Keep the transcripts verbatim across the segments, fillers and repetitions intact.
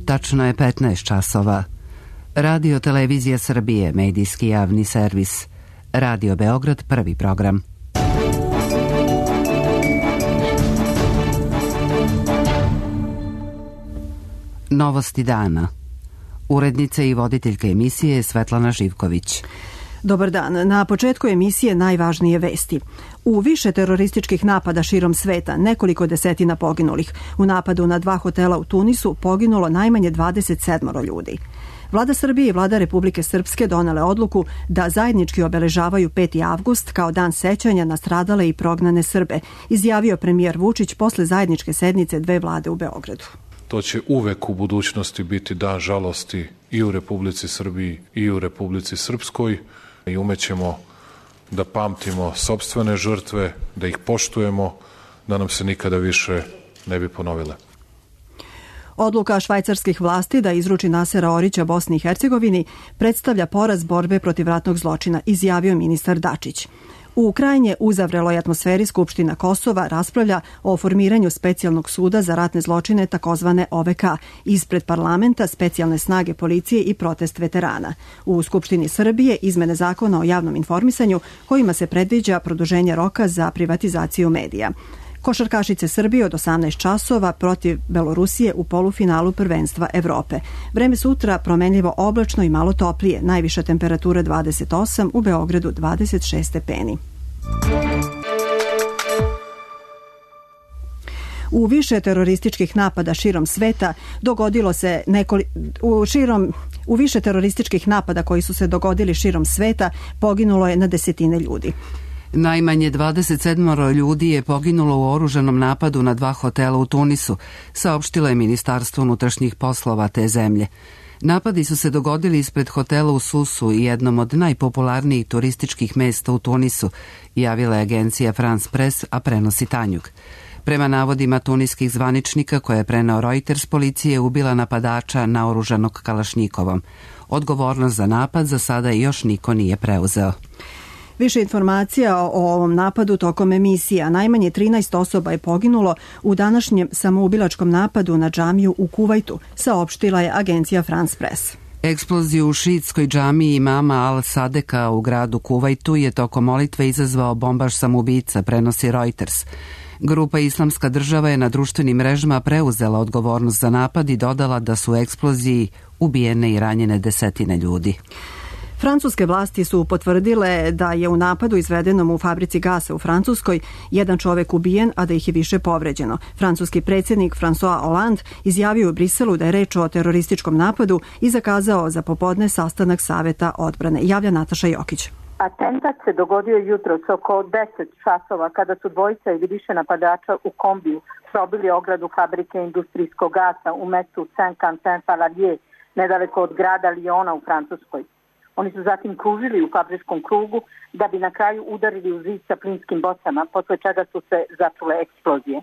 Tačno je petnaest časova. Radio Televizija Srbije, medijski javni servis. Radio Beograd, prvi program. Novosti dana. Urednica i voditeljka emisije Svetlana Živković. Dobar dan. Na početku emisije najvažnije vesti. U više terorističkih napada širom sveta, nekoliko desetina poginulih. U napadu na dva hotela u Tunisu poginulo najmanje dvadeset sedam ljudi. Vlada Srbije i Vlada Republike Srpske donele odluku da zajednički obeležavaju peti avgust kao dan sećanja na stradale i prognane Srbe, izjavio premijer Vučić posle zajedničke sednice dve vlade u Beogradu. To će uvek u budućnosti biti dan žalosti i u Republici Srbiji i u Republici Srpskoj i umećemo da pamtimo sopstvene žrtve, da ih poštujemo, da nam se nikada više ne bi ponovile. Odluka švajcarskih vlasti da izruči Nasera Orića Bosni i Hercegovini predstavlja poraz borbe protiv ratnog zločina, izjavio ministar Dačić. U krajnje uzavreloj atmosferi Skupština Kosova raspravlja o formiranju specijalnog suda za ratne zločine takozvane O V K ispred parlamenta, specijalne snage policije i protest veterana. U Skupštini Srbije izmene zakona o javnom informisanju kojima se predviđa produženje roka za privatizaciju medija. Košarkašice Srbije od osamnaest časova protiv Belorusije u polufinalu prvenstva Evrope. Vreme sutra promenljivo oblačno i malo toplije, najviša temperatura dvadeset osam, u Beogradu dvadeset šest stepeni. U više terorističkih napada širom sveta dogodilo se nekoli, u, širom, u više terorističkih napada koji su se dogodili širom sveta poginulo je na desetine ljudi. Najmanje dvadeset sedam ljudi je poginulo u oružanom napadu na dva hotela u Tunisu, saopštilo je Ministarstvo unutrašnjih poslova te zemlje. Napadi su se dogodili ispred hotela u Susu i jednom od najpopularnijih turističkih mesta u Tunisu, javila je agencija France Press, a prenosi Tanjug. Prema navodima tuniskih zvaničnika koje je preneo Reuters, policija je ubila napadača naoružanog kalašnjikovom. Odgovornost za napad za sada još niko nije preuzeo. Više informacija o ovom napadu tokom emisija. Najmanje trinaest osoba je poginulo u današnjem samoubilačkom napadu na džamiju u Kuvajtu, saopštila je agencija France Press. Eksploziju u šiitskoj džamiji imama Al-Sadeka u gradu Kuvajtu je tokom molitve izazvao bombaš samoubica, prenosi Reuters. Grupa Islamska država je na društvenim mrežama preuzela odgovornost za napad i dodala da su u eksploziji ubijene i ranjene desetine ljudi. Francuske vlasti su potvrdile da je u napadu izvedenom u fabrici gasa u Francuskoj jedan čovek ubijen, a da ih je više povređeno. Francuski predsjednik François Hollande izjavio u Briselu da je reč o terorističkom napadu i zakazao za popodne sastanak Saveta odbrane. Javlja Nataša Jokić. Atentat se dogodio jutros oko deset časova kada su dvojica ili više napadača u kombiju probili ogradu fabrike industrijskog gasa u mestu Saint-Quentin-Fallavier, nedaleko od grada Lyona u Francuskoj. Oni su zatim kružili u fabričkom krugu da bi na kraju udarili u zid sa plinskim bocama, posle čega su se začule eksplozije.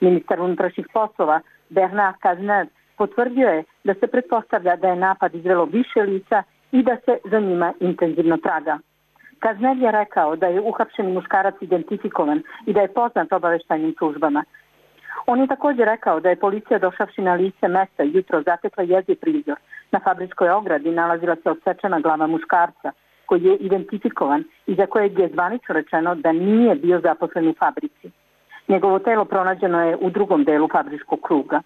Ministar unutrašnjih poslova Bernard Cazeneuve potvrdio je da se pretpostavlja da je napad izvelo više lica i da se za njima intenzivno traga. Cazeneuve je rekao da je uhapšeni muškarac identifikovan i da je poznat obaveštajnim službama. On je također rekao da je policija došavši na lice mesta jutro zatekla jeziv prizor. Na fabričkoj ogradi nalazila se odsečena glava muškarca koji je identifikovan i za kojeg je zvanično rečeno da nije bio zaposlen u fabrici. Njegovo telo pronađeno je u drugom delu fabričkog kruga.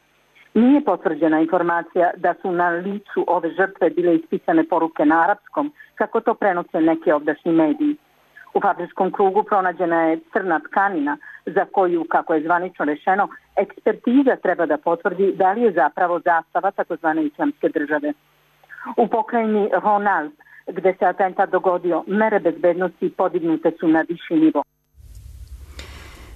Nije potvrđena informacija da su na licu ove žrtve bile ispisane poruke na arapskom, kako to prenose neki ovdašnji mediji. U fabričkom krugu pronađena je crna tkanina za koju, kako je zvanično rečeno, ekspertiza treba da potvrdi da li je zapravo zastava takozvane islamske države. U pokrajini Rhône-Alpes, gde se atentat dogodio, mere bezbednosti podignute su na viši nivo.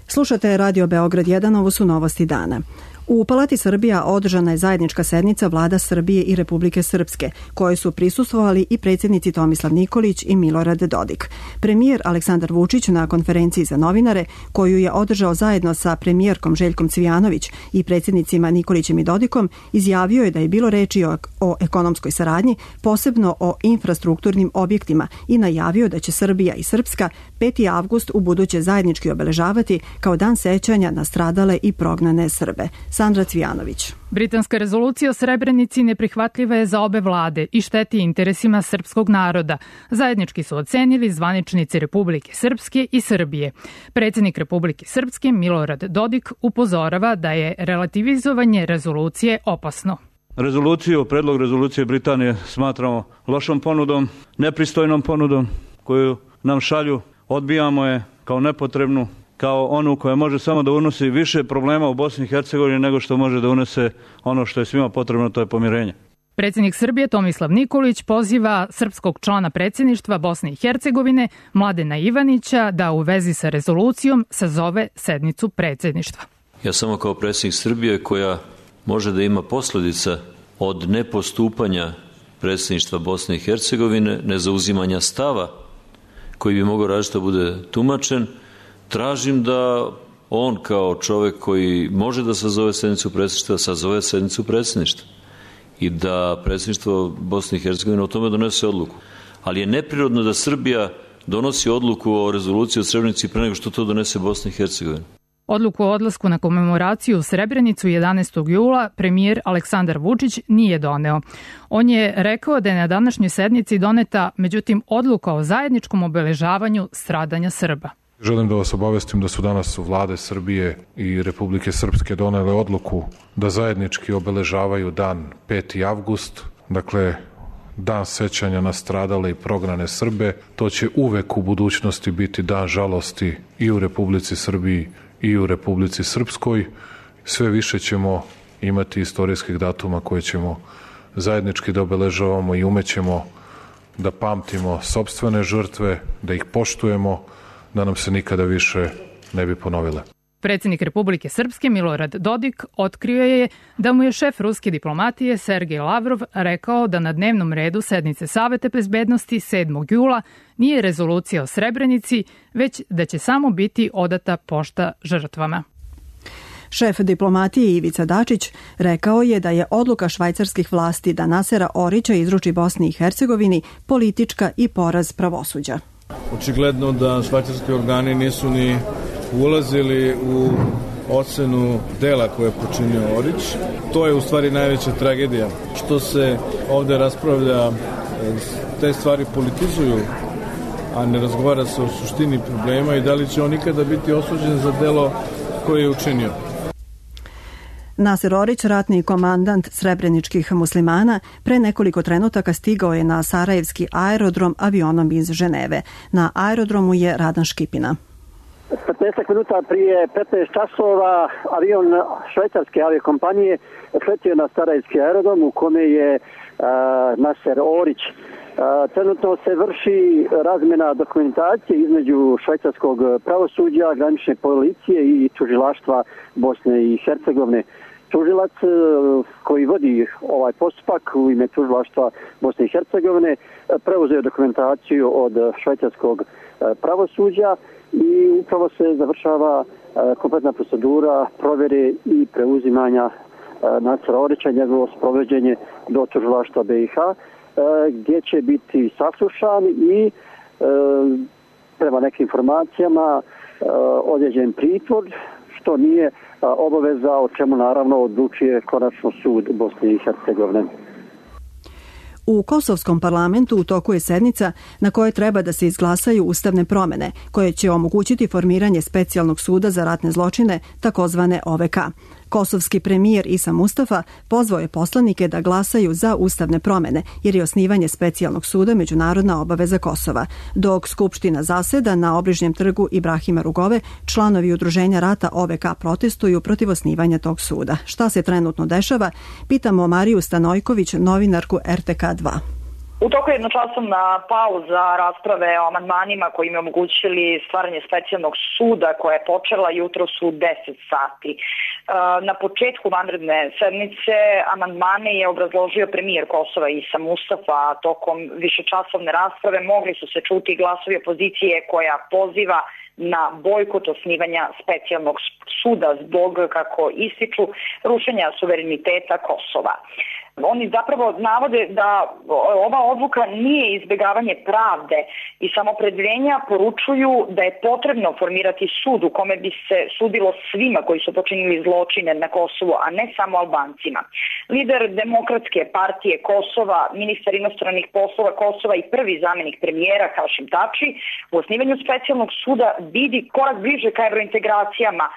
Slušate Radio Beograd jedan, ovo su novosti dana. U Palati Srbija održana je zajednička sednica Vlada Srbije i Republike Srpske, koje su prisustvovali i predsjednici Tomislav Nikolić i Milorad Dodik. Premijer Aleksandar Vučić na konferenciji za novinare, koju je održao zajedno sa premijerkom Željkom Cvijanović i predsjednicima Nikolićem i Dodikom, izjavio je da je bilo reči o, o ekonomskoj saradnji, posebno o infrastrukturnim objektima, i najavio da će Srbija i Srpska peti avgust u buduće zajednički obeležavati kao dan sećanja na stradale i prognane Srbe. Sandra Cvijanović. Britanska rezolucija o Srebrenici neprihvatljiva je za obe vlade i šteti interesima srpskog naroda. Zajednički su ocenili zvaničnici Republike Srpske i Srbije. Predsjednik Republike Srpske Milorad Dodik upozorava da je relativizovanje rezolucije opasno. Rezoluciju, predlog rezolucije Britanije smatramo lošom ponudom, nepristojnom ponudom koju nam šalju. Odbijamo je kao nepotrebnu, kao onu koja može samo da unosi više problema u Bosni i Hercegovini nego što može da unese ono što je svima potrebno, to je pomirenje. Predsjednik Srbije Tomislav Nikolić poziva srpskog člana predsjedništva Bosne i Hercegovine Mladena Ivanića da u vezi sa rezolucijom sazove sednicu predsjedništva. Ja samo kao predsjednik Srbije, koja može da ima posljedica od nepostupanja predsjedništva Bosne i Hercegovine, nezauzimanja stava koji bi mogao različito bude tumačen, tražim da on kao čovjek koji može da sazove sednicu predsjedništva, sazove sednicu predsjedništva i da predsjedništvo Bosne i Hercegovine o tome donese odluku. Ali je neprirodno da Srbija donosi odluku o rezoluciji o Srebrenici pre nego što to donese Bosna i Hercegovina. Odluku o odlasku na komemoraciju u Srebrenicu jedanaestog jula premijer Aleksandar Vučić nije doneo. On je rekao da je na današnjoj sednici doneta, međutim, odluka o zajedničkom obeležavanju stradanja Srba. Želim da vas obavestim da su danas vlade Srbije i Republike Srpske donele odluku da zajednički obeležavaju dan peti avgust, dakle dan sećanja na stradale i prognane Srbe. To će uvek u budućnosti biti dan žalosti i u Republici Srbiji i u Republici Srpskoj. Sve više ćemo imati istorijskih datuma koje ćemo zajednički da obeležavamo i umećemo da pamtimo sopstvene žrtve, da ih poštujemo, da nam se nikada više ne bi ponovile. Predsjednik Republike Srpske Milorad Dodik otkrio je da mu je šef ruske diplomatije Sergej Lavrov rekao da na dnevnom redu sednice Saveta bezbednosti sedmog jula nije rezolucija o Srebrenici, već da će samo biti odata pošta žrtvama. Šef diplomatije Ivica Dačić rekao je da je odluka švajcarskih vlasti da Nasera Orića izruči Bosni i Hercegovini politička i poraz pravosuđa. Očigledno da švajcarski organi nisu ni ulazili u ocenu dela koje je počinio Orić. To je u stvari najveća tragedija. Što se ovde raspravlja, te stvari politizuju, a ne razgovara se o suštini problema i da li će on ikada biti osuđen za delo koje je učinio. Naser Orić, ratni komandant srebreničkih muslimana, pre nekoliko trenutaka stigao je na sarajevski aerodrom avionom iz Ženeve. Na aerodromu je Radan Škipina. petnaest minuta prije petnaest časova avion švajcarske aviokompanije sletio na sarajevski aerodrom u kome je uh, Naser Orić. Uh, trenutno se vrši razmjena dokumentacije između švajcarskog pravosuđa, granične policije i tužilaštva Bosne i Hercegovine. Tužilac koji vodi ovaj postupak u ime tužilaštva Bosne i Hercegovine preuzeo dokumentaciju od švajcarskog pravosuđa i upravo se završava kompletna procedura provjere i preuzimanja Nasera Orića i njegovo sprovođenje do tužilaštva B i H, gdje će biti saslušan i prema nekim informacijama određen pritvor, što nije obaveza, o čemu naravno odlučuje konačno sud Bosne i Hercegovine. U kosovskom parlamentu u toku je sednica na kojoj treba da se izglasaju ustavne promjene, koje će omogućiti formiranje specijalnog suda za ratne zločine, takozvane O V K. Kosovski premijer Isa Mustafa pozvao je poslanike da glasaju za ustavne promjene, jer je osnivanje specijalnog suda međunarodna obaveza Kosova. Dok Skupština zaseda na obližnjem trgu Ibrahima Rugove, članovi udruženja rata O V K protestuju protiv osnivanja tog suda. Šta se trenutno dešava? Pitamo Mariju Stanojković, novinarku R T K dva. U toku je jednočasovna pauza rasprave o amandmanima koji im omogućili stvaranje specijalnog suda koja je počela jutros u deset sati. Na početku vanredne sednice amandmane je obrazložio premijer Kosova Isa Mustafa, a tokom višečasovne rasprave mogli su se čuti glasovi opozicije koja poziva na bojkot osnivanja specijalnog suda zbog, kako ističu, rušenja suvereniteta Kosova. Oni zapravo navode da ova odluka nije izbjegavanje pravde i samopredjeljenja, poručuju da je potrebno formirati sud u kome bi se sudilo svima koji su počinili zločine na Kosovu, a ne samo Albancima. Lider Demokratske partije Kosova, ministar inostranih poslova Kosova i prvi zamjenik premijera Hašim Tači u osnivanju specijalnog suda vidi korak bliže ka evrointegracijama,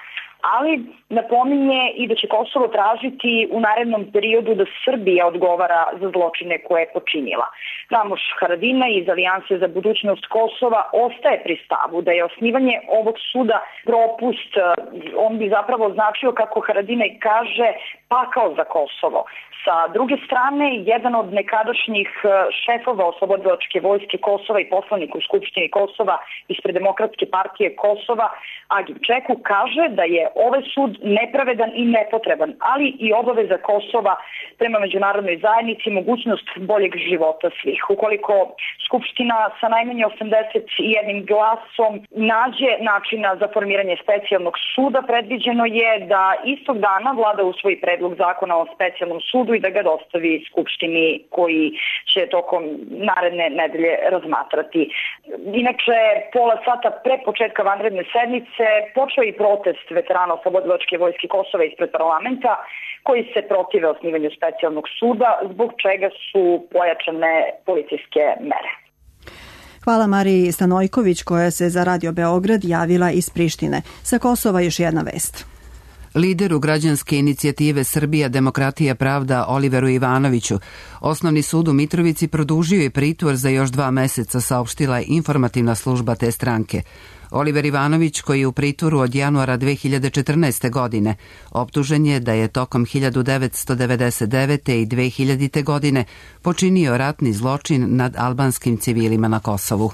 ali napominje i da će Kosovo tražiti u narednom periodu da Srbija odgovara za zločine koje je počinila. Ramuš Haradinaj iz Alijanse za budućnost Kosova ostaje pri stavu da je osnivanje ovog suda propust. On bi zapravo značio, kako Haradinaj kaže, pakao za Kosovo. Sa druge strane, jedan od nekadašnjih šefova Oslobodilačke vojske Kosova i poslanik u Skupštini Kosova ispred Demokratske partije Kosova, Agim Čeku, kaže da je ovaj sud nepravedan i nepotreban, ali i obaveza Kosova prema međunarodnoj zajednici mogućnost boljeg života svih. Ukoliko Skupština sa najmanje osamdeset jednim glasom nađe načina za formiranje specijalnog suda, predviđeno je da istog dana vlada usvoji predlog zakona o specijalnom sudu i da ga dostavi Skupštini, koji će tokom naredne nedelje razmatrati. Inače, pola sata pre početka vanredne sednice počeo i protest veterana Oslobodilačke vojske Kosova ispred parlamenta, koji se protive osnivanju specijalnog suda, zbog čega su pojačane policijske mere. Hvala Mariji Stanojković, koja se za Radio Beograd javila iz Prištine. Sa Kosova još jedna vest. Lideru građanske inicijative Srbija, demokratija, pravda Oliveru Ivanoviću Osnovni sud u Mitrovici produžio je pritvor za još dva meseca, saopštila je informativna služba te stranke. Oliver Ivanović, koji je u pritvoru od januara dve hiljade četrnaeste. godine, optužen je da je tokom hiljadu devetsto devedeset devete. i dve hiljadite. godine počinio ratni zločin nad albanskim civilima na Kosovu.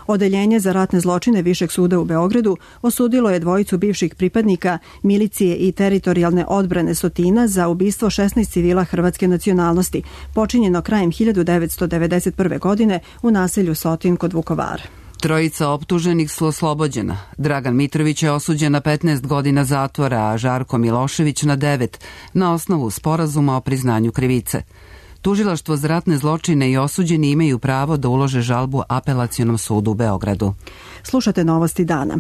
Odeljenje za ratne zločine Višeg suda u Beogradu osudilo je dvojicu bivših pripadnika milicije i teritorijalne odbrane Sotina za ubistvo šesnaest civila hrvatske nacionalnosti, počinjeno krajem hiljadu devetsto devedeset prve. godine u naselju Sotin kod Vukovara. Trojica optuženih su oslobođena. Dragan Mitrović je osuđen na petnaest godina zatvora, a Žarko Milošević na devet, na osnovu sporazuma o priznanju krivice. Tužilaštvo za ratne zločine i osuđeni imaju pravo da ulože žalbu Apelacionom sudu u Beogradu. Slušate novosti dana.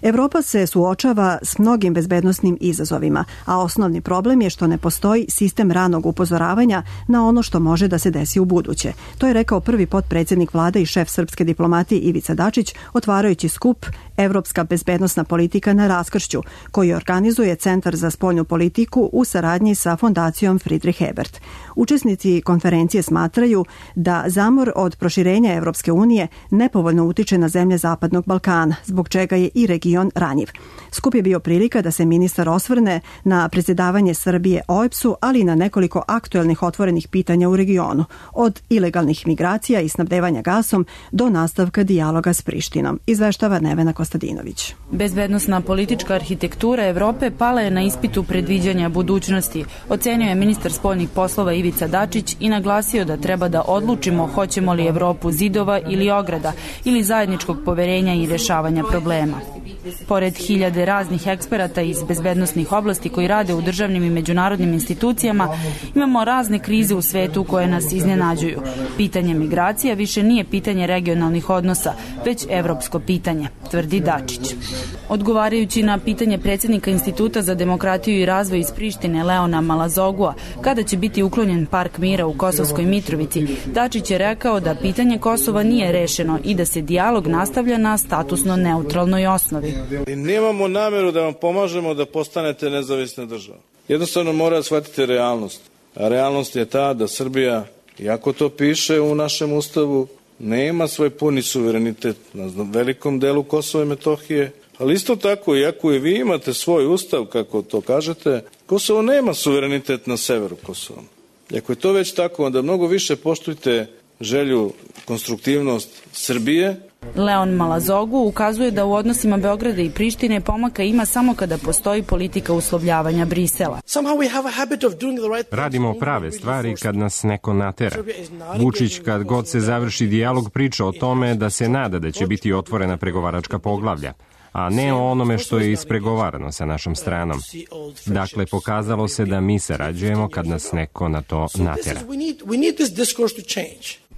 Evropa se suočava s mnogim bezbednosnim izazovima, a osnovni problem je što ne postoji sistem ranog upozoravanja na ono što može da se desi u buduće. To je rekao prvi potpredsjednik vlade i šef srpske diplomatije Ivica Dačić, otvarajući skup Evropska bezbednosna politika na raskršću, koji organizuje Centar za spoljnu politiku u saradnji sa fondacijom Friedrich Ebert. Učesnici konferencije smatraju da zamor od proširenja Evropske unije nepovoljno utiče na zemlje Zapadnog Balkana, zbog čega je i region ranjiv. Skup je bio prilika da se ministar osvrne na predsjedavanje Srbije O E B S-u, ali i na nekoliko aktuelnih otvorenih pitanja u regionu, od ilegalnih migracija i snabdevanja gasom do nastavka dijaloga s Prištinom, izveštava Nevena Kostadinović. Bezbednosna politička arhitektura Evrope pala je na ispitu predviđanja budućnosti, ocenio je ministar spoljnih poslova Ivica Dačić i naglasio da treba da odlučimo hoćemo li Evropu zidova ili ograda ili zajedničkog poverenja i rješavanja problema. Pored hiljade raznih eksperata iz bezbednosnih oblasti koji rade u državnim i međunarodnim institucijama, imamo razne krize u svetu koje nas iznenađuju. Pitanje migracija više nije pitanje regionalnih odnosa, već evropsko pitanje, tvrdi Dačić. Odgovarajući na pitanje predsjednika Instituta za demokratiju i razvoj iz Prištine Leona Malazogua, kada će biti uklonjen park mira u Kosovskoj Mitrovici, Dačić je rekao da pitanje Kosova nije rešeno i da se dijalog nastavlja na statusno neutralnoj osnovi. I nemamo nameru da vam pomažemo da postanete nezavisna država. Jednostavno mora da shvatite realnost. A realnost je ta da Srbija, iako to piše u našem ustavu, nema svoj puni suverenitet na velikom delu Kosova i Metohije, ali isto tako, iako i vi imate svoj ustav, kako to kažete, Kosovo nema suverenitet na severu Kosova. I ako je to već tako, onda mnogo više poštujte želju, konstruktivnost Srbije. Leon Malazogu ukazuje da u odnosima Beograda i Prištine pomaka ima samo kada postoji politika uslovljavanja Brisela. Radimo prave stvari kad nas neko natera. Vučić, kad god se završi dijalog, priča o tome da se nada da će biti otvorena pregovaračka poglavlja. a ne o onome što je ispregovarano sa našom stranom. Dakle, pokazalo se da mi sarađujemo kad nas neko na to natjera.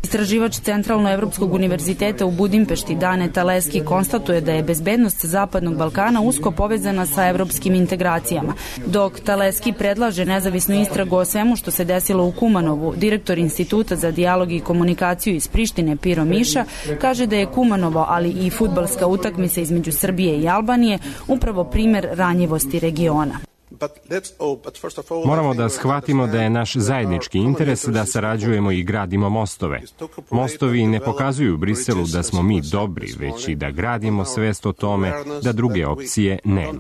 Istraživač Centralno-Evropskog univerziteta u Budimpešti Dane Taleski konstatuje da je bezbednost Zapadnog Balkana usko povezana sa evropskim integracijama. Dok Taleski predlaže nezavisnu istragu o svemu što se desilo u Kumanovu, direktor Instituta za dijalog i komunikaciju iz Prištine Piro Miša kaže da je Kumanovo, ali i fudbalska utakmica između Srbije i Albanije upravo primer ranjivosti regiona. Moramo da shvatimo da je naš zajednički interes da sarađujemo i gradimo mostove. Mostovi ne pokazuju u Briselu da smo mi dobri, već i da gradimo svest o tome da druge opcije nema.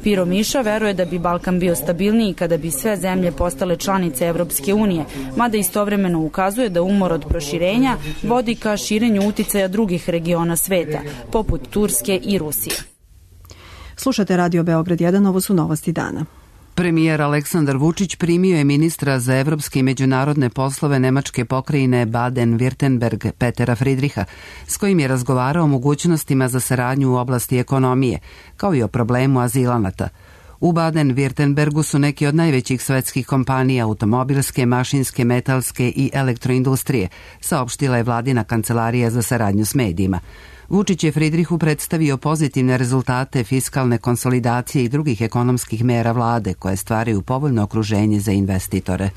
Piro Miša veruje da bi Balkan bio stabilniji kada bi sve zemlje postale članice Evropske unije, mada istovremeno ukazuje da umor od proširenja vodi ka širenju uticaja drugih regiona sveta, poput Turske i Rusije. Slušate Radio Beograd jedan, ovo su novosti dana. Premijer Aleksandar Vučić primio je ministra za evropske i međunarodne poslove nemačke pokrajine Baden-Württemberg Petera Friedricha, s kojim je razgovarao o mogućnostima za saradnju u oblasti ekonomije, kao i o problemu azilanata. U Baden-Württembergu su neki od najvećih svetskih kompanija automobilske, mašinske, metalske i elektroindustrije, saopštila je vladina kancelarija za saradnju s medijima. Vučić je Friedrichu predstavio pozitivne rezultate fiskalne konsolidacije i drugih ekonomskih mera vlade koje stvaraju povoljno okruženje za investitore.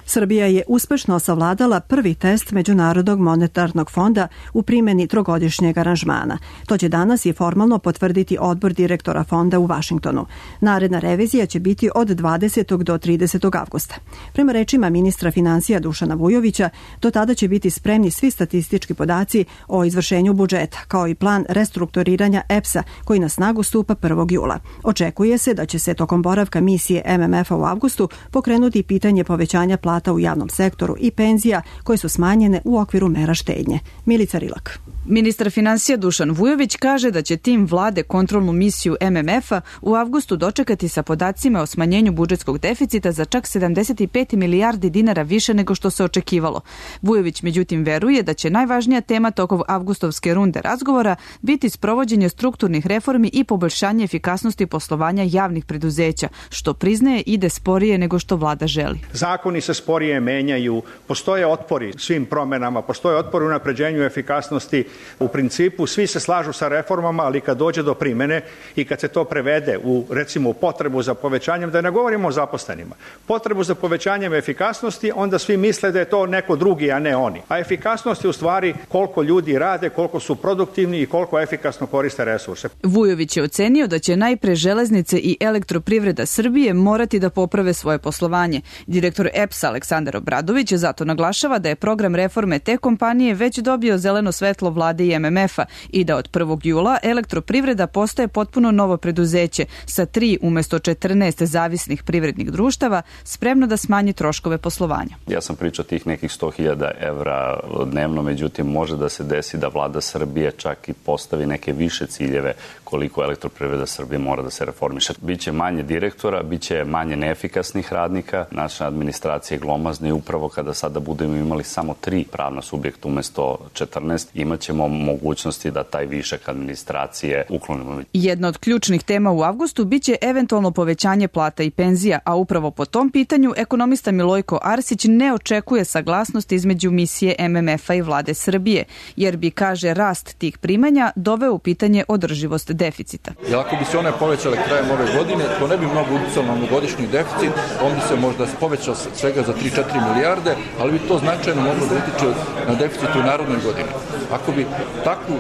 Srbija je uspešno savladala prvi test Međunarodnog monetarnog fonda u primjeni trogodišnjeg aranžmana. To će danas i formalno potvrditi odbor direktora fonda u Vašingtonu. Naredna revizija će biti od dvadesetog do tridesetog avgusta. Prema rečima ministra financija Dušana Vujovića, do tada će biti spremni svi statistički podaci o izvršenju budžeta, kao i plan restrukturiranja E P S-a koji na snagu stupa prvog jula. Očekuje se da će se tokom boravka misije M M F-a u avgustu pokrenuti pitanje povećanja plata u javnom sektoru i penzija koje su smanjene u okviru mera štednje. Milica Rilak. Ministar financija Dušan Vujović kaže da će tim vlade kontrolnu misiju M M F-a u avgustu dočekati sa podacima o smanjenju budžetskog deficita za čak sedamdeset pet milijardi dinara više nego što se očekivalo. Vujović međutim veruje da će najvažnija tema tokom avgustovske runde razgovora biti sprovođenje strukturnih reformi i poboljšanje efikasnosti poslovanja javnih preduzeća, što priznaje ide sporije nego što vlada želi. Zakoni se sporije menjaju, postoje otpori svim promenama, postoje otpori u napređenju efikasnosti. U principu svi se slažu sa reformama, ali kad dođe do primene i kad se to prevede u, recimo, potrebu za povećanjem, da ne govorimo o zaposlenima, potrebu za povećanjem efikasnosti, onda svi misle da je to neko drugi, a ne oni. A efikasnost je u stvari koliko ljudi rade, koliko su produktivni i koliko efikasno koriste resurse. Vujović je ocenio da će najpre železnice i elektroprivreda Srbije morati da poprave svoje poslovanje. Direktor E P S Aleksandar Obradović zato naglašava da je program reforme te kompanije već dobio zeleno svetlo vlade i M M F-a i da od prvog jula elektroprivreda postaje potpuno novo preduzeće sa tri umesto četrnaest zavisnih privrednih društava spremno da smanji troškove poslovanja. Ja sam pričao tih nekih sto hiljada evra dnevno, međutim može da se desi da vlada Srbije čak i postavi neke više ciljeve koliko elektroprivreda Srbije mora da se reformiše. Biće manje direktora, biće manje neefikasnih radnika, naša administracija je glomazna i upravo kada sada budemo imali samo tri pravna subjekta umesto četrnaest, imaćemo mogućnosti da taj višak administracije uklonimo. Jedna od ključnih tema u avgustu biće eventualno povećanje plata i penzija, a upravo po tom pitanju ekonomista Milojko Arsić ne očekuje saglasnost između misije M M F-a i vlade Srbije, jer bi, kaže, rast tih primanja doveo u pitanje održivost deficita. Jer ako bi se one povećale krajem ove godine, to ne bi mnogo uticalo na godišnji deficit, on bi se možda povećao svega za tri do četiri milijarde, ali bi to značajno moglo da utiče na deficit u narodnoj godini. Ako bi takvu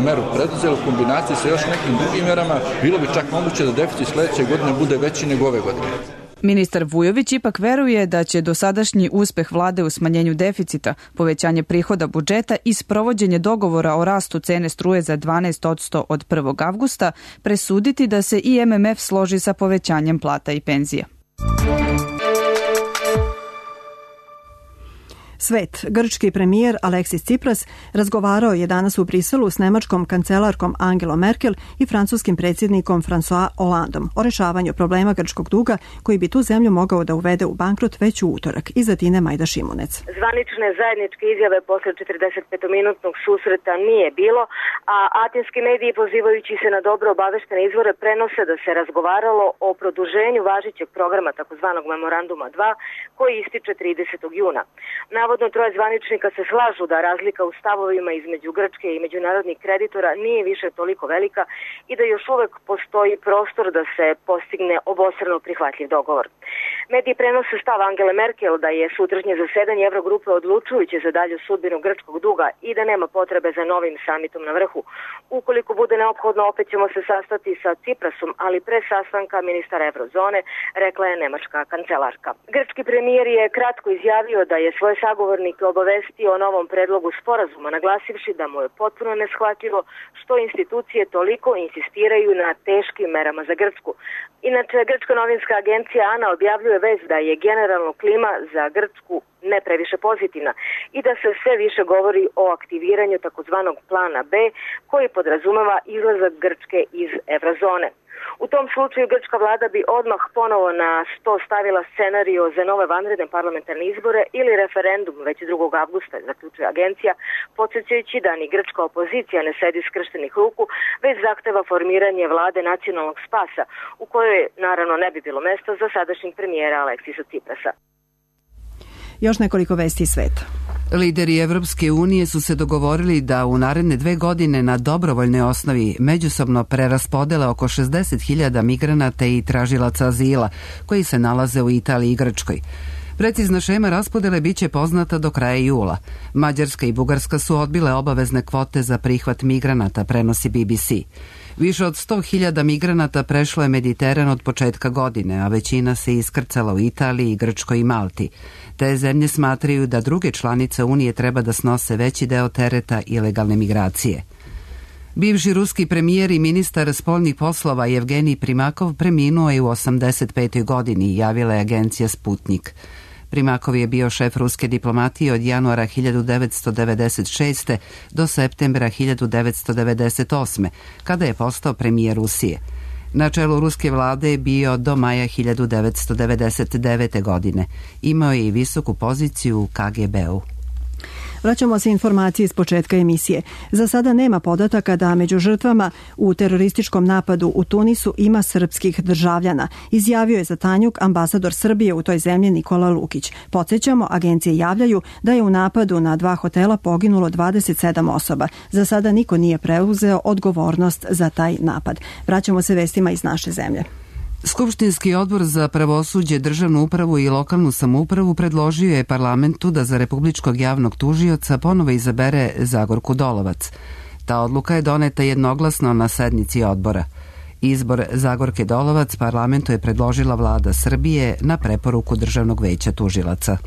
meru preduzeli u kombinaciji sa još nekim drugim merama, bilo bi čak moguće da deficit sledeće godine bude veći nego ove godine. Ministar Vujović ipak veruje da će dosadašnji uspeh vlade u smanjenju deficita, povećanje prihoda budžeta i sprovođenje dogovora o rastu cene struje za dvanaest posto od prvog avgusta presuditi da se i M M F složi sa povećanjem plata i penzija. Svet. Grčki premijer Aleksis Tsipras razgovarao je danas u Briselu s nemačkom kancelarkom Angelom Merkel i francuskim predsjednikom François Hollandom o rešavanju problema grčkog duga koji bi tu zemlju mogao da uvede u bankrot već u utorak. Iza Tine Majda Šimunec. Zvanične zajedničke izjave posle četrdesetpetominutnog susreta nije bilo, a atinski mediji pozivajući se na dobro obaveštene izvore prenose da se razgovaralo o produženju važećeg programa takozvanog memoranduma dva koji ističe tridesetog juna. Navodno troje zvaničnika se slažu da razlika u stavovima između Grčke i međunarodnih kreditora nije više toliko velika i da još uvek postoji prostor da se postigne obostrano prihvatljiv dogovor. Mediji prenose stav Angele Merkel da je sutrašnje zasedanje Evrogrupe odlučujuće za dalju sudbinu grčkog duga i da nema potrebe za novim samitom na vrhu. Ukoliko bude neophodno, opet ćemo se sastati sa Tsiprasom, ali pre sastanka ministara Evrozone, rekla je nemačka kancelarka. Grčki premijer je kratko izjavio da je svoje sagovornike obavestio o novom predlogu sporazuma, naglasivši da mu je potpuno neshvatljivo što institucije toliko insistiraju na teškim merama za Grčku. Inače, grčka novinska agencija ANA objavljuje vez da je generalno klima za Grčku ne previše pozitivna i da se sve više govori o aktiviranju takozvanog plana B koji podrazumeva izlazak Grčke iz Evrozone. U tom slučaju grčka vlada bi odmah ponovo na sto stavila scenario za nove vanredne parlamentarne izbore ili referendum već drugog avgusta, zaključuje agencija, podsjećajući da ni grčka opozicija ne sedi skrštenih ruku, već zahteva formiranje vlade nacionalnog spasa, u kojoj naravno ne bi bilo mesta za sadašnjeg premijera Aleksisa Tsiprasa. Još nekoliko vesti iz sveta. Lideri Evropske unije su se dogovorili da u naredne dve godine na dobrovoljnoj osnovi međusobno preraspodele oko šezdeset hiljada migranata i tražilaca azila koji se nalaze u Italiji i Grčkoj. Precizna šema raspodele biće poznata do kraja jula. Mađarska i Bugarska su odbile obavezne kvote za prihvat migranata, prenosi B B C. Više od sto hiljada migranata prešlo je Mediteran od početka godine, a većina se iskrcala u Italiji, Grčkoj i Malti. Te zemlje smatraju da druge članice Unije treba da snose veći deo tereta ilegalne migracije. Bivši ruski premijer i ministar spoljnih poslova Jevgenij Primakov preminuo je u osamdeset petoj godini, javila je agencija Sputnik. Primakov je bio šef ruske diplomatije od januara hiljadu devetsto devedeset šeste. do septembra hiljadu devetsto devedeset osme. kada je postao premijer Rusije. Na čelu ruske vlade je bio do maja hiljadu devetsto devedeset devete. godine. Imao je i visoku poziciju u K G B-u. Vraćamo se informacije iz početka emisije. Za sada nema podataka da među žrtvama u terorističkom napadu u Tunisu ima srpskih državljana, izjavio je za Tanjug ambasador Srbije u toj zemlji Nikola Lukić. Podsjećamo, agencije javljaju da je u napadu na dva hotela poginulo dvadeset sedam osoba. Za sada niko nije preuzeo odgovornost za taj napad. Vraćamo se vestima iz naše zemlje. Skupštinski odbor za pravosuđe, državnu upravu i lokalnu samoupravu predložio je parlamentu da za republičkog javnog tužioca ponovo izabere Zagorku Dolovac. Ta odluka je doneta jednoglasno na sednici odbora. Izbor Zagorke Dolovac parlamentu je predložila vlada Srbije na preporuku Državnog veća tužilaca.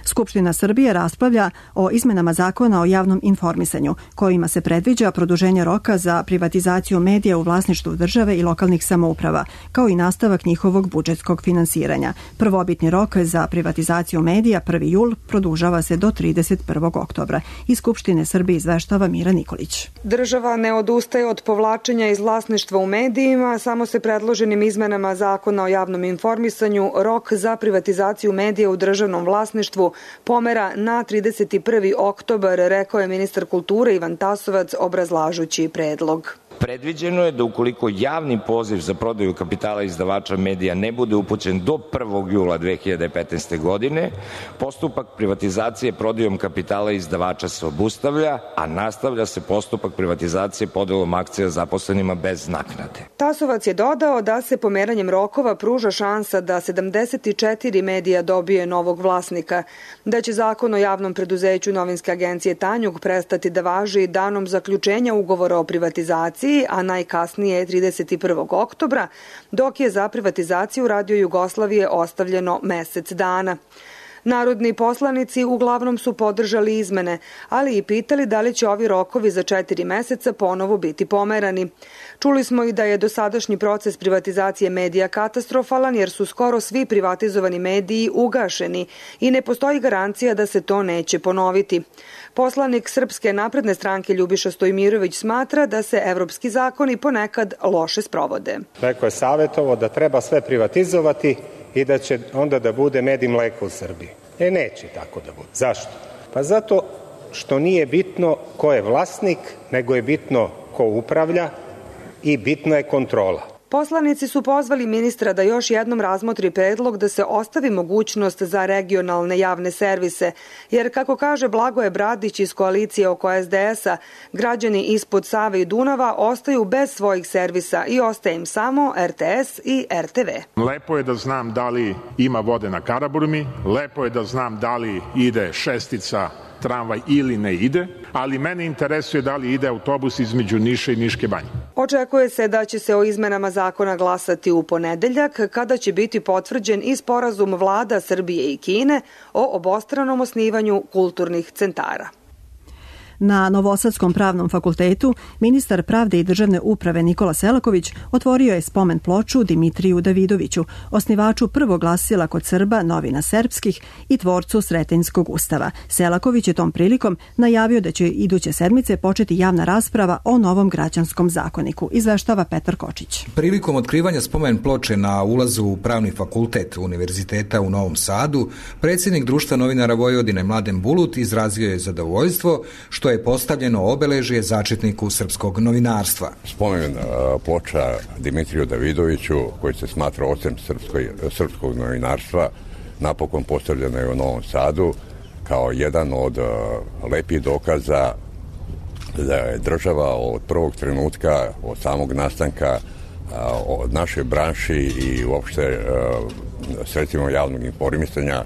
Skupština Srbije raspravlja o izmenama zakona o javnom informisanju, kojima se predviđa produženje roka za privatizaciju medija u vlasništvu države i lokalnih samouprava, kao i nastavak njihovog budžetskog finansiranja. Prvobitni rok za privatizaciju medija, prvi jul, produžava se do trideset prvog oktobra. Iz Skupštine Srbije izveštava Mira Nikolić. Država ne odustaje od povlačenja iz vlasništva u medijima, samo se predloženim izmenama zakona o javnom informisanju rok za privatizaciju medija u državnom vlasništvu pomera na trideset prvi oktobar, rekao je ministar kulture Ivan Tasovac obrazlažući predlog. Predviđeno je da ukoliko javni poziv za prodaju kapitala izdavača medija ne bude upućen do prvog jula dve hiljade petnaeste. godine, postupak privatizacije prodajom kapitala izdavača se obustavlja, a nastavlja se postupak privatizacije podelom akcija zaposlenima bez naknade. Tasovac je dodao da se pomeranjem rokova pruža šansa da sedamdeset četiri medija dobije novog vlasnika, da će zakon o javnom preduzeću novinske agencije Tanjug prestati da važi danom zaključenja ugovora o privatizaciji, a najkasnije trideset prvog oktobra, dok je za privatizaciju Radio Jugoslavije ostavljeno mesec dana. Narodni poslanici uglavnom su podržali izmene, ali i pitali da li će ovi rokovi za četiri meseca ponovo biti pomerani. Čuli smo i da je dosadašnji proces privatizacije medija katastrofalan jer su skoro svi privatizovani mediji ugašeni i ne postoji garancija da se to neće ponoviti. Poslanik Srpske napredne stranke Ljubiša Stojmirović smatra da se evropski zakoni ponekad loše sprovode. Neko je savjetovo da treba sve privatizovati i da će onda da bude med i mleko u Srbiji. E, neće tako da bude. Zašto? Pa zato što nije bitno ko je vlasnik, nego je bitno ko upravlja i bitna je kontrola. Poslanici su pozvali ministra da još jednom razmotri predlog da se ostavi mogućnost za regionalne javne servise, jer kako kaže Blagoje Bradić iz koalicije oko es de es a, građani ispod Save i Dunava ostaju bez svojih servisa i ostaje im samo er te es i er te ve. Lepo je da znam da li ima vode na Karaburmi, lepo je da znam da li ide šestica tramvaj ili ne ide, ali mene interesuje da li ide autobus između Niša i Niške banje. Očekuje se da će se o izmenama zakona glasati u ponedeljak, kada će biti potvrđen i sporazum vlada Srbije i Kine o obostranom osnivanju kulturnih centara. Na Novosadskom pravnom fakultetu ministar pravde i državne uprave Nikola Selaković otvorio je spomen ploču Dimitriju Davidoviću, osnivaču prvog glasila kod Srba Novina Serbskih i tvorcu Sretenjskog ustava. Selaković je tom prilikom najavio da će iduće sedmice početi javna rasprava o novom građanskom zakoniku, izveštava Petar Kočić. Prilikom otkrivanja spomen ploče na ulazu u pravni fakultet Univerziteta u Novom Sadu, predsjednik Društva novinara Vojvodine Mladen Bulut izrazio je zadovoljstvo što je postavljeno obeležje začetniku srpskog novinarstva. Spomen ploča Dimitriju Davidoviću, koji se smatra ocem srpskog novinarstva, napokon postavljena je u Novom Sadu kao jedan od lepih dokaza da je država od prvog trenutka, od samog nastanka od naše branši i uopšte sredstvima javnog informisanja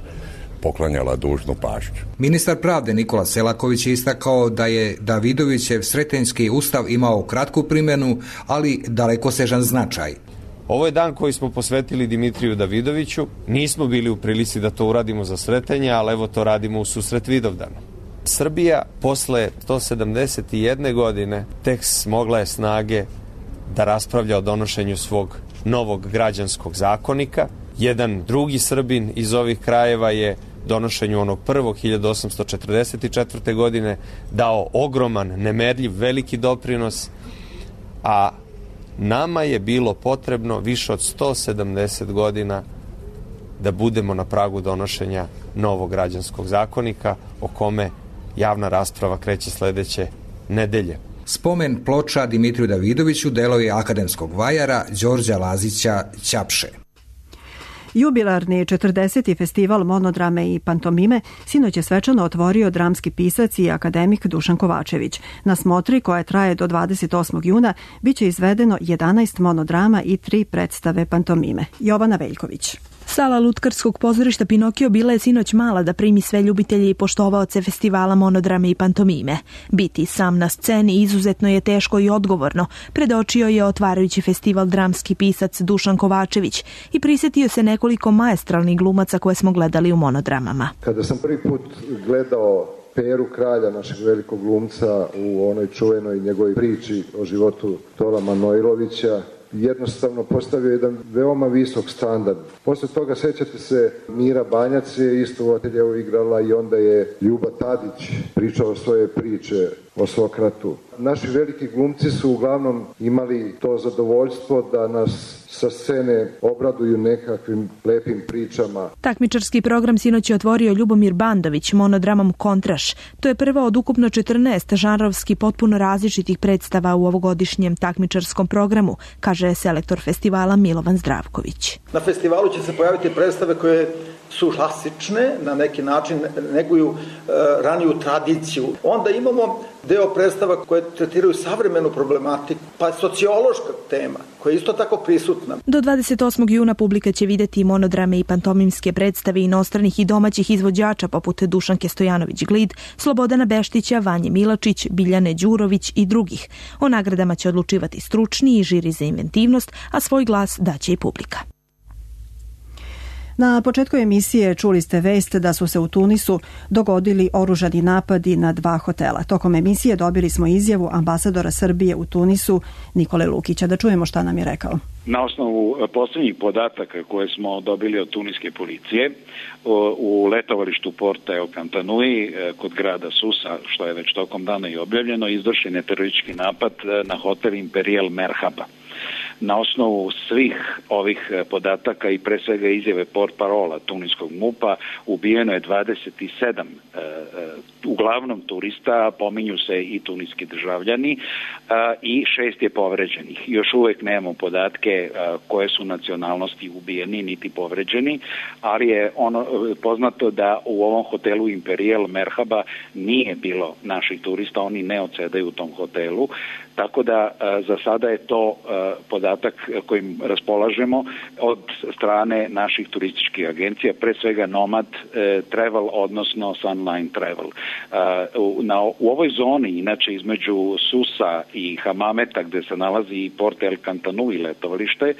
poklanjala dužnu pažnju. Ministar pravde Nikola Selaković je istakao da je Davidovićev Sretenjski ustav imao kratku primjenu, ali dalekosežan značaj. Ovo je dan koji smo posvetili Dimitriju Davidoviću. Nismo bili u prilici da to uradimo za Sretenje, ali evo to radimo u susret Vidovdanu. Srbija posle sto sedamdeset jedne godine tek smogla je snage da raspravlja o donošenju svog novog građanskog zakonika. Jedan drugi Srbin iz ovih krajeva je donošenju onog prvog hiljadu osamsto četrdeset četvrte godine dao ogroman, nemerljiv, veliki doprinos, a nama je bilo potrebno više od sto sedamdeset godina da budemo na pragu donošenja novog građanskog zakonika, o kome javna rasprava kreće sledeće nedelje. Spomen ploča Dimitriju Davidoviću delo je akademskog vajara Đorđa Lazića Ćapše. Jubilarni četrdeseti festival monodrame i pantomime sinoć je svečano otvorio dramski pisac i akademik Dušan Kovačević. Na smotri, koja traje do dvadeset osmog juna, biće izvedeno jedanaest monodrama i tri predstave pantomime. Jovana Veljković. Sala Lutkarskog pozorišta Pinokio bila je sinoć mala da primi sve ljubitelje i poštovaoce festivala monodrame i pantomime. Biti sam na sceni izuzetno je teško i odgovorno, predočio je otvarajući festival dramski pisac Dušan Kovačević i prisjetio se nekoliko maestralnih glumaca koje smo gledali u monodramama. Kada sam prvi put gledao Peru Kralja, našeg velikog glumca, u onoj čuvenoj njegovoj priči o životu Tola Manojlovića, jednostavno postavio jedan veoma visok standard. Posle toga sećate se Mira Banjac je isto u ateljevu igrala i onda je Ljuba Tadić pričao svoje priče o Sokratu. Naši veliki glumci su uglavnom imali to zadovoljstvo da nas sa scene obraduju nekakvim lepim pričama. Takmičarski program sinoć je otvorio Ljubomir Bandović monodramom Kontraš. To je prva od ukupno četrnaest žanrovski potpuno različitih predstava u ovogodišnjem takmičarskom programu, kaže selektor festivala Milovan Zdravković. Na festivalu će se pojaviti predstave koje su klasične, na neki način neguju e, raniju tradiciju. Onda imamo deo predstava koje tretiraju savremenu problematiku, pa sociološka tema, koja je isto tako prisutna. Do dvadeset osmog juna publika će videti monodrame i pantomimske predstave inostranih i domaćih izvođača poput Dušanke Stojanović-Glid, Slobodana Beštića, Vanje Milačić, Biljane Đurović i drugih. O nagradama će odlučivati stručni i žiri za inventivnost, a svoj glas daće i publika. Na početku emisije čuli ste vest da su se u Tunisu dogodili oružani napadi na dva hotela. Tokom emisije dobili smo izjavu ambasadora Srbije u Tunisu Nikole Lukića. Da čujemo šta nam je rekao. Na osnovu posljednjih podataka koje smo dobili od tuniske policije u letovalištu Porta El Kantanui kod grada Susa, što je već tokom dana i objavljeno, izvršen je teroristički napad na hotel Imperial Merhaba. Na osnovu svih ovih podataka i pre svega izjave portparola tuniskog MUP-a ubijeno je dvadeset sedam e, uglavnom turista, pominju se i tuniski državljani e, i šest je povređenih. Još uvek nemamo podatke e, koje su nacionalnosti ubijeni niti povređeni, ali je ono poznato da u ovom hotelu Imperial Merhaba nije bilo naših turista, oni ne odsedaju u tom hotelu, tako da e, za sada je to e, podatak kojim raspolažemo od strane naših turističkih agencija, pre svega Nomad e, Travel, odnosno Sunline Travel. E, u, na, u ovoj zoni, inače između Susa i Hamameta, gde se nalazi i Port El Kantanui letovalište, e,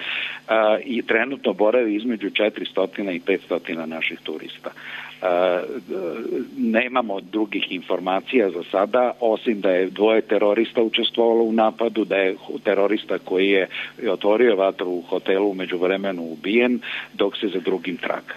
i trenutno boravi između četiristo i petsto naših turista. Nemamo drugih informacija za sada, osim da je dvoje terorista učestvovalo u napadu, da je terorista koji je otvorio vatru u hotelu u međuvremenu ubijen, dok se za drugim traga.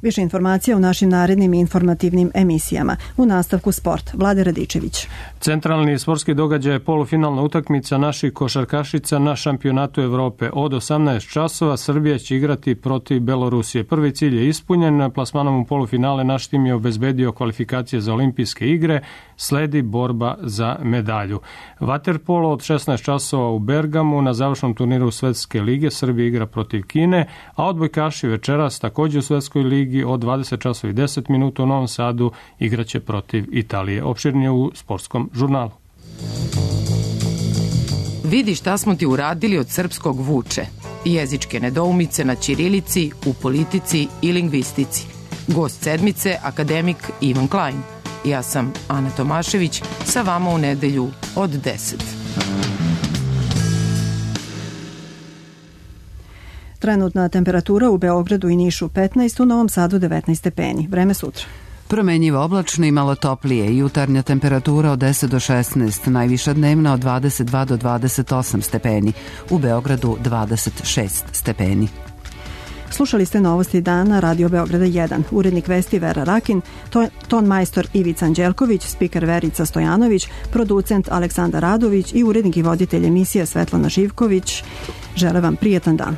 Više informacija u našim narednim informativnim emisijama. U nastavku sport. Vlade Radičević. Centralni sportski događaj je polufinalna utakmica naših košarkašica na šampionatu Evrope. Od osamnaest časova Srbija će igrati protiv Belorusije. Prvi cilj je ispunjen. Plasmanom u polufinale naš tim je obezbedio kvalifikacije za olimpijske igre. Sledi borba za medalju. Vaterpolo od šesnaest časova u Bergamu na završnom turniru Svetske lige Srbija igra protiv Kine, a odbojkaši večeras također u Svetskoj ligi od dvadeset časova i deset minuta u Novom Sadu igraće protiv Italije. Opširnije u sportskom žurnalu. Vidi šta smo ti uradili od srpskog vuče. Jezičke nedoumice na ćirilici, u politici i lingvistici. Gost sedmice, akademik Ivan Klein. Ja sam Ana Tomašević, sa vama u nedelju od deset. Trenutna temperatura u Beogradu i Nišu petnaest, u Novom Sadu devetnaest stepeni. Vreme sutra. Promenjivo oblačno i malo toplije. Jutarnja temperatura od deset do šesnaest, najviša dnevna od dvadeset dva do dvadeset osam stepeni. U Beogradu dvadeset šest stepeni. Slušali ste novosti dana Radio Beograda jedan. Urednik vesti Vera Rakin, ton majstor Ivica Anđelković, spiker Verica Stojanović, producent Aleksandar Radović i urednik i voditelj emisije Svetlana Živković. Žele vam prijetan dan.